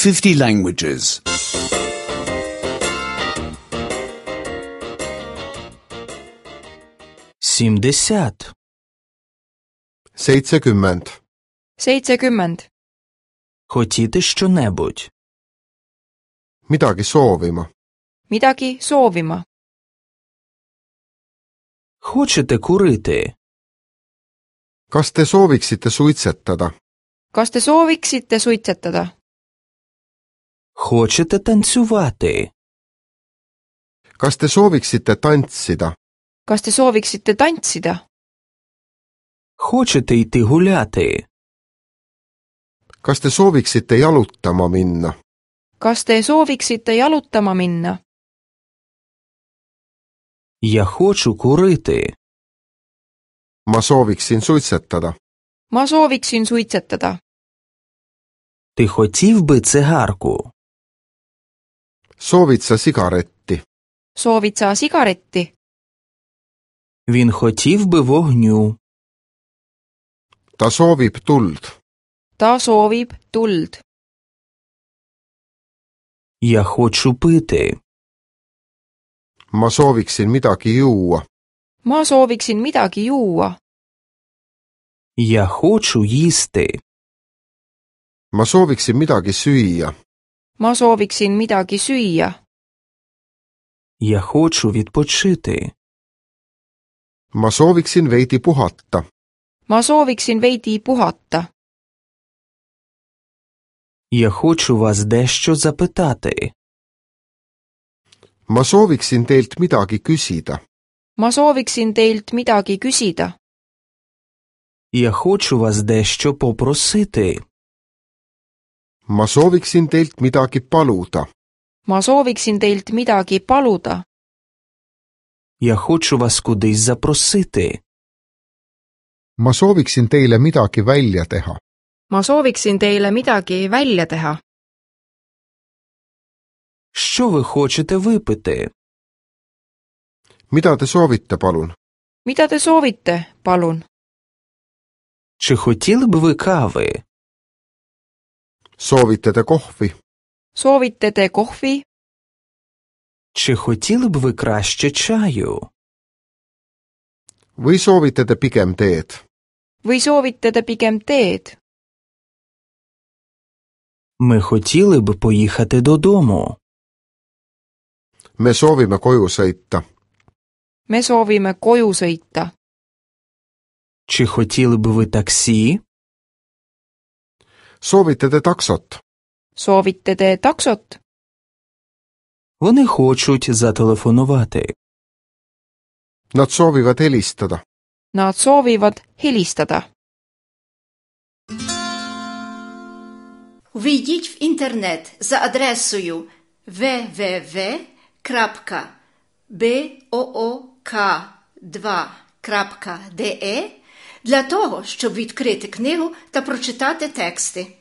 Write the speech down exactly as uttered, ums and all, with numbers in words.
fifty languages. Сімдесят. seitsekümmend, seitsekümmend. Хотіти щонебудь. midagi soovima, Midagi soovima. Хочете курити? kas te sooviksite suitsetada, Kas te sooviksite suitsetada? Хочете танцювати? kas te sooviksite tantsida, Kas te sooviksite tantsida? Хочете йти гуляти? kas te sooviksite jalutama minna, Kas te sooviksite jalutama minna? Я хочу курити. ma sooviksin suitsetada, Ma sooviksin suitsetada. Ти хотів би цигарку? soovid sa sigaretti, Soovid sa sigaretti? Він хотів би вогню. ta soovib tuld, Ta soovib tuld. Я хочу pити. ma sooviksin midagi juua, Ma sooviksin midagi juua. Я хочу їсти. ma sooviksin midagi süüa, Ma sooviksin midagi süüa. Я хочу відпочити. ma sooviksin veidi puhata, Ma sooviksin veidi puhata. Я хочу вас дещо запитати. ma sooviksin teilt midagi küsida, Ma sooviksin teilt midagi küsida. Я хочу вас дещо попросити. ma sooviksin teilt midagi paluda, Ma sooviksin teilt midagi paluda. Я хочу вас кудись запросити. ma sooviksin teile midagi välja teha, Ma sooviksin teile midagi välja teha. Що ви хочете випити? mida te soovite, palun, Mida te soovite, palun? Чи хотіли б ви кави? soovite te kohvi, Soovite te kohvi? Чи хотіли б ви краще чаю? või soovite te pigem teed, Või soovite te pigem teed? Ми хотіли б поїхати додому. me soovime koju sõita, Me soovime koju sõita. Чи хотіли б ви таксі? soovite te taksot, Soovite te taksot? Вони хочуть зателефонувати. nad soovivad helistada, Nad soovivad helistada. Ввійдіть в інтернет за адресою дабл ю дабл ю дабл ю крапка буок два крапка де для того, щоб відкрити книгу та прочитати тексти.